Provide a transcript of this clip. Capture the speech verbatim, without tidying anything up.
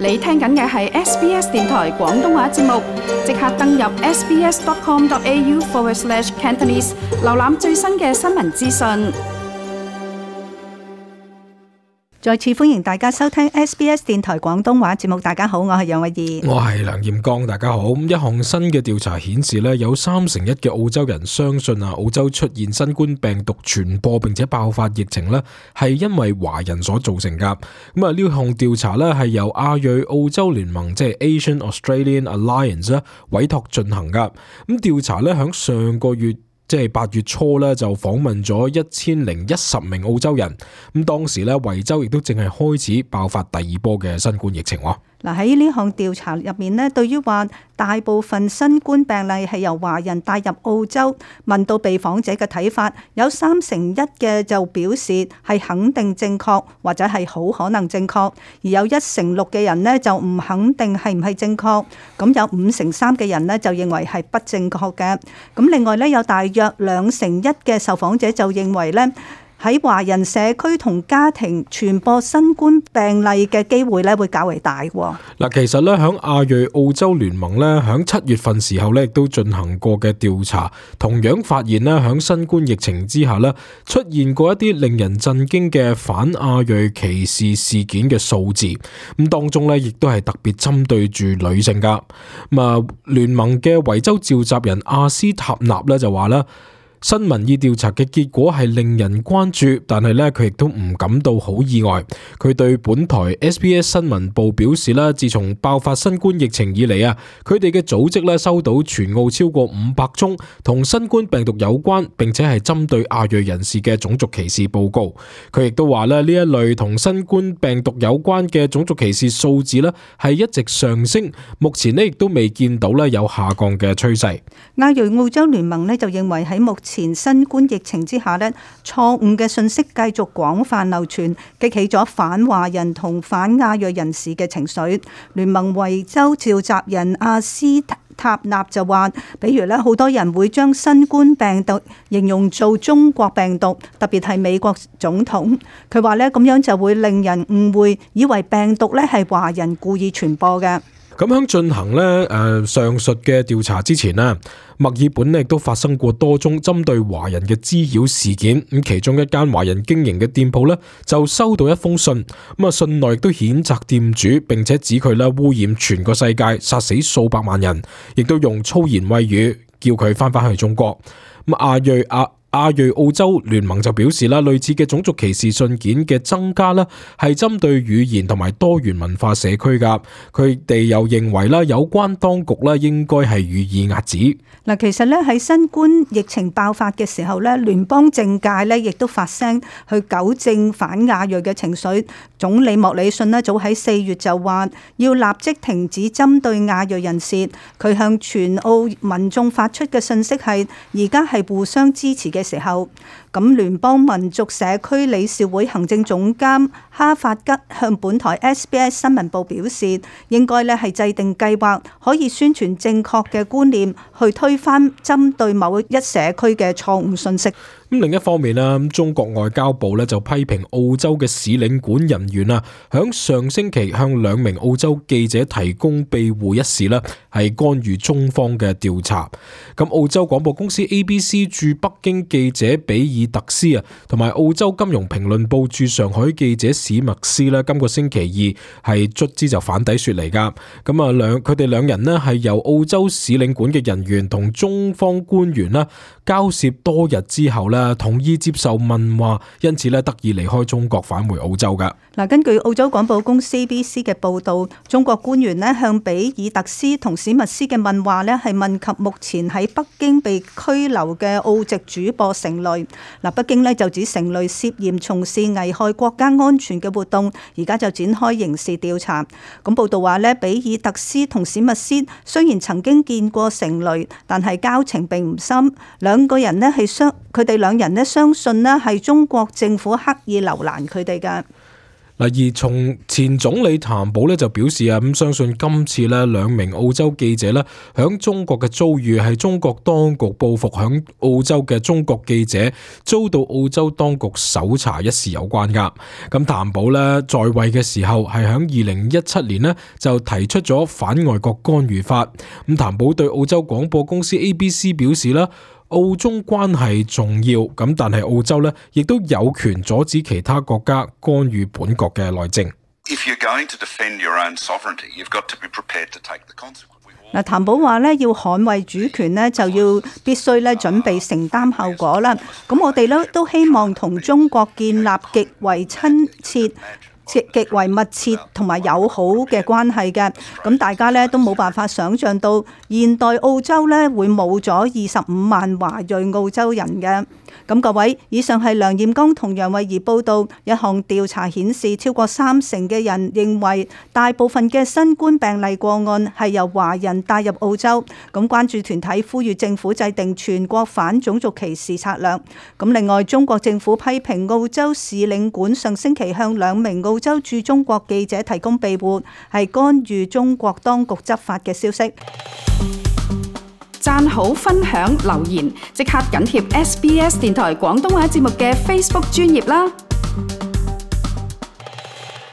你聽緊嘅係 S B S 電台廣東話節目，即刻登入 sbs.com.au forward slash Cantonese， 瀏覽最新嘅新聞資訊。再次歡迎大家收聽 S B S 電台廣東話節目。大家好，我係楊慧儀，我係梁艷剛。大家好。一項新嘅調查顯示咧，有三成一嘅澳洲人相信啊，澳洲出現新冠病毒傳播並且爆發疫情咧，係因為華人所造成噶。咁啊，呢項調查咧係由亞裔澳洲聯盟，即係 Asian Australian Alliance 咧委託進行噶。咁調查咧響上個月，即係八月初咧，就訪問咗一千零一十名澳洲人。咁當時咧，維州亦都正係開始爆發第二波嘅新冠疫情。嗱，喺呢項調查入面咧，對於話大部分新冠病例係由華人帶入澳洲，問到被訪者嘅睇法，有三成一嘅就表示係肯定正確或者係好可能正確，而有一成六嘅人呢就唔肯定係唔係正確，咁有五成三嘅人呢就認為係不正確嘅。咁另外呢，有大約兩成一嘅受訪者就認為呢，喺華人社區同家庭傳播新冠病例嘅機會咧，會較為大。嗱，其實咧，響亞裔澳洲聯盟咧，響七月份時候咧，亦都進行過嘅調查，同樣發現咧，響新冠疫情之下咧，出現過一啲令人震驚嘅反亞裔歧視事件嘅數字。咁當中咧，亦都係特別針對住女性噶。咁啊，聯盟嘅維州召集人阿斯塔納咧就話啦，新民意調查嘅結果係令人關注，但係咧佢亦都唔感到好意外。佢對本台 S B S 新聞部表示啦，自從爆發新冠疫情以嚟啊，佢哋嘅組織咧收到全澳超過五百宗同新冠病毒有關並且係針對亞裔人士嘅種族歧視報告。佢亦都話咧，呢一類同新冠病毒有關嘅種族歧視數字咧係一直上升，目前咧亦都未見到咧有下降嘅趨勢。亞裔澳洲聯盟咧就認為喺目前前新冠疫情之下呢，錯誤嘅信息繼續廣泛流傳，激起咗反華人同反亞裔人士嘅情緒。聯盟維州召集人阿斯塔納就話，比如咧，好多人會將新冠病毒形容做中國病毒，特別係美國總統。佢話咧，咁樣就會令人誤會，以為病毒咧係華人故意傳播嘅。咁喺進行咧誒上述嘅調查之前咧，墨爾本咧亦都發生過多宗針對華人嘅滋擾事件。咁其中一間華人經營嘅店鋪咧就收到一封信，咁啊信內亦都譴責店主，並且指佢咧污染全個世界，殺死數百萬人，亦都用粗言穢語叫佢翻返去中國。咁亞裔亞亞裔澳洲聯盟就表示啦，類似嘅種族歧視信件嘅增加啦，係針對語言同埋多元文化社區噶。佢哋又認為啦，有關當局啦應該係予以遏止。嗱，其實咧喺新冠疫情爆發嘅時候咧，聯邦政界咧亦都發聲去糾正反亞裔嘅情緒。總理莫里遜咧早喺四月就話要立即停止針對亞裔人士。佢向全澳民眾發出嘅信息係：而家係互相支持嘅時候。咁聯邦民族社區理事會行政總監哈法吉向本台 S B S 新聞部表示，應該咧係制定計劃，可以宣傳正確嘅觀念，去推翻針對某一社區嘅錯誤信息。咁另一方面啊，中國外交部咧就批評澳洲嘅使領館人員啊，響上星期向兩名澳洲記者提供庇護一事咧，係干預中方嘅調查。咁澳洲廣播公司 A B C 駐北京記者比爾特斯啊，同埋澳洲金融評論報駐上海記者史密斯咧，今個星期二係卒之就反底說嚟噶。咁啊兩佢哋兩人咧係由澳洲使領館嘅人員同中方官員啦交涉多日之後咧，同意接受問話，因此咧得以離開中國返回澳洲噶。嗱，根據澳洲廣播公司 A B C 嘅報導，中國官員咧向比爾特斯同史密斯嘅問話咧係問及目前喺北京被拘留嘅澳籍主播成蕾。嗱，北京咧就指成蕾涉嫌從事危害國家安全嘅活動，而家就展開刑事調查。咁報導話咧，比爾特斯同史密斯雖然曾經見過成蕾，但係交情並唔深。兩個人咧係相，佢哋兩人咧相信咧係中國政府刻意留難佢哋嘅。嗱，而從前總理譚寶咧就表示啊，咁相信今次咧兩名澳洲記者咧響中國嘅遭遇係中國當局報復響澳洲嘅中國記者遭到澳洲當局搜查一事有關噶。咁譚寶咧在位嘅時候係響二零一七年咧就提出咗反外國干預法。咁譚寶對澳洲廣播公司 A B C 表示啦，澳中關係重要，咁但係澳洲咧亦都有權阻止其他國家干預本國嘅內政。嗱，譚寶話咧要捍衛主權咧，就要必須咧準備承擔後果啦。咁我哋咧都希望同中國建立極為親切、極極為密切同埋友好嘅關係嘅。咁大家咧都冇辦法想像到現代澳洲咧會冇咗二十五萬華裔澳洲人嘅。咁各位，以上係梁艷剛同楊慧儀報道，一項調查顯示，超過三成嘅人認為大部分嘅新冠病例個案係由華人帶入澳洲。咁關注團體呼籲政府制定全國反種族歧視策略。咁另外，中國政府批評澳洲使領館上星期向兩名澳洲駐中國記者提供庇護，係干預中國當局執法嘅消息。讚好、分享、留言，即刻緊貼 S B S 電台廣東話節目嘅 Facebook 專頁啦！